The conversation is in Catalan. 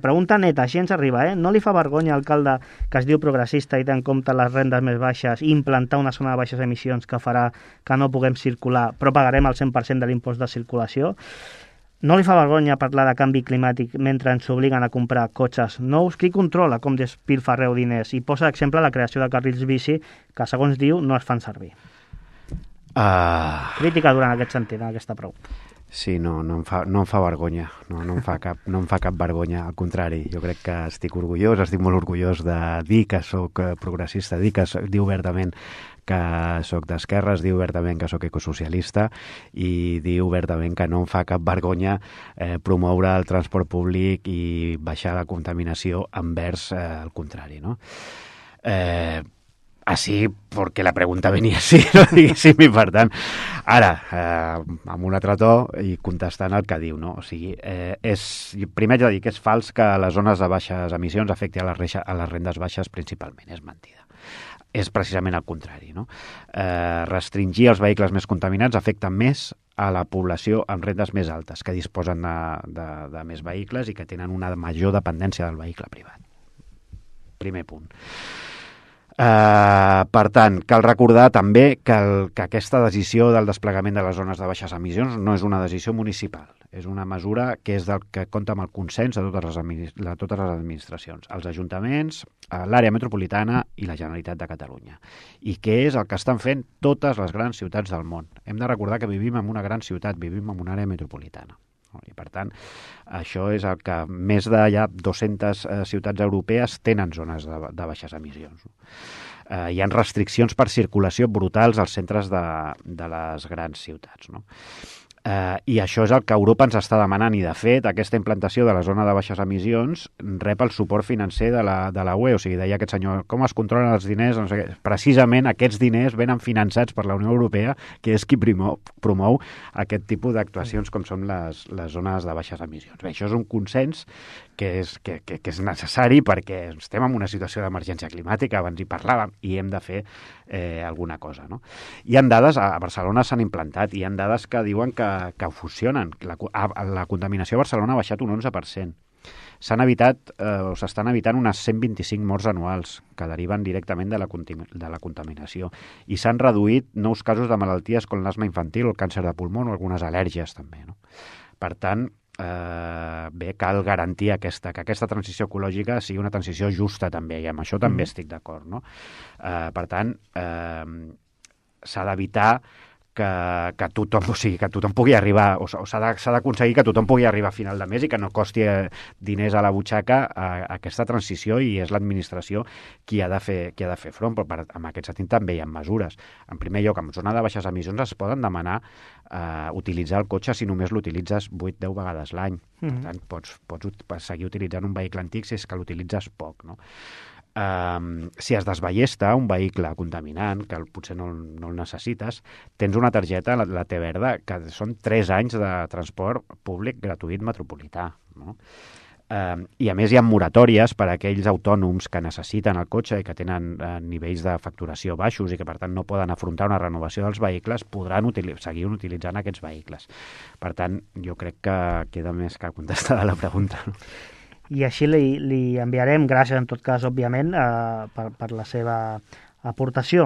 pregunta neta, així ens arriba, no li fa vergonya, alcalde, que es diu progressista i té en compte les rendes més baixes i implantar una zona de baixes emissions que farà que no puguem circular, però pagarem el 100% de l'impost de circulació? No li fa vergonya parlar de canvi climàtic mentre ens obliguen a comprar cotxes nous? Qui controla com despilfarreu diners? I posa d'exemple la creació de carrils bici que, segons diu, no es fan servir. Crítica durant aquest sentit, en aquesta pregunta. Sí, no em fa vergonya, no em fa cap vergonya, al contrari, jo crec que estic molt orgullós de dir que sóc progressista, dir obertament que sóc d'esquerres, dir obertament que sóc ecosocialista i dir obertament que no em fa cap vergonya promoure el transport públic i baixar la contaminació envers el contrari, no? Así, porque la pregunta venia així, no? Diguéssim, i per tant, ara, amb un altre to i contestant el que diu, no? O sigui, primer haig de dir que és fals que les zones de baixes emissions afecti a les rendes baixes principalment, és mentida. És precisament el contrari, no? Restringir els vehicles més contaminants afecta més a la població amb rendes més altes, que disposen de més vehicles i que tenen una major dependència del vehicle privat. Primer punt. Per tant, cal recordar també que aquesta decisió del desplegament de les zones de baixes emissions no és una decisió municipal, és una mesura que és del que compta amb el consens de totes les administracions, els ajuntaments, l'àrea metropolitana i la Generalitat de Catalunya, i que és el que estan fent totes les grans ciutats del món. Hem de recordar que vivim en una gran ciutat, vivim en una àrea metropolitana. I, per tant, això és el que més de ja 200 ciutats europees tenen zones de baixes emissions. Hi ha restriccions per circulació brutals als centres de les grans ciutats, no? I això és el que Europa ens està demanant, i de fet aquesta implantació de la zona de baixes emissions rep el suport financer de la UE. O sigui, deia aquest senyor, com es controlen els diners? No sé què. Precisament aquests diners venen finançats per la Unió Europea, que és qui promou aquest tipus d'actuacions com són les zones de baixes emissions. Bé, això és un consens que és necessari perquè estem en una situació d'emergència climàtica, abans hi parlàvem, i hem de fer alguna cosa, no? Hi ha dades, a Barcelona s'han implantat, hi ha dades que diuen que funcionen. La contaminació a Barcelona ha baixat un 11%. S'estan evitant unes 125 morts anuals que deriven directament de la contaminació, i s'han reduït nous casos de malalties com l'asma infantil, el càncer de pulmó o algunes al·lèrgies també, no? Per tant, cal garantir que aquesta transició ecològica sigui una transició justa també, i amb això també estic d'acord, no? Per tant, s'ha d'evitar que tothom pugui arribar, o s'ha d'aconseguir que tothom pugui arribar a final de mes i que no costi diners a la butxaca a aquesta transició, i és l'administració qui ha de fer front, però en aquest sentit també hi ha mesures. En primer lloc, en zona de baixes emissions es poden demanar utilitzar el cotxe si només l'utilitzes 8-10 vegades l'any. Per tant, pots seguir utilitzant un vehicle antic si és que l'utilitzes poc, no? Si es desballesta un vehicle contaminant, que potser no el necessites, tens una targeta, la T-Verda, que són 3 anys de transport públic gratuït metropolità, no? I a més hi ha moratòries per a aquells autònoms que necessiten el cotxe i que tenen nivells de facturació baixos i que per tant no poden afrontar una renovació dels vehicles, podran seguir utilitzant aquests vehicles. Per tant, jo crec que queda més que contestada la pregunta, no? I així li enviarem, gràcies en tot cas, òbviament, per la seva aportació.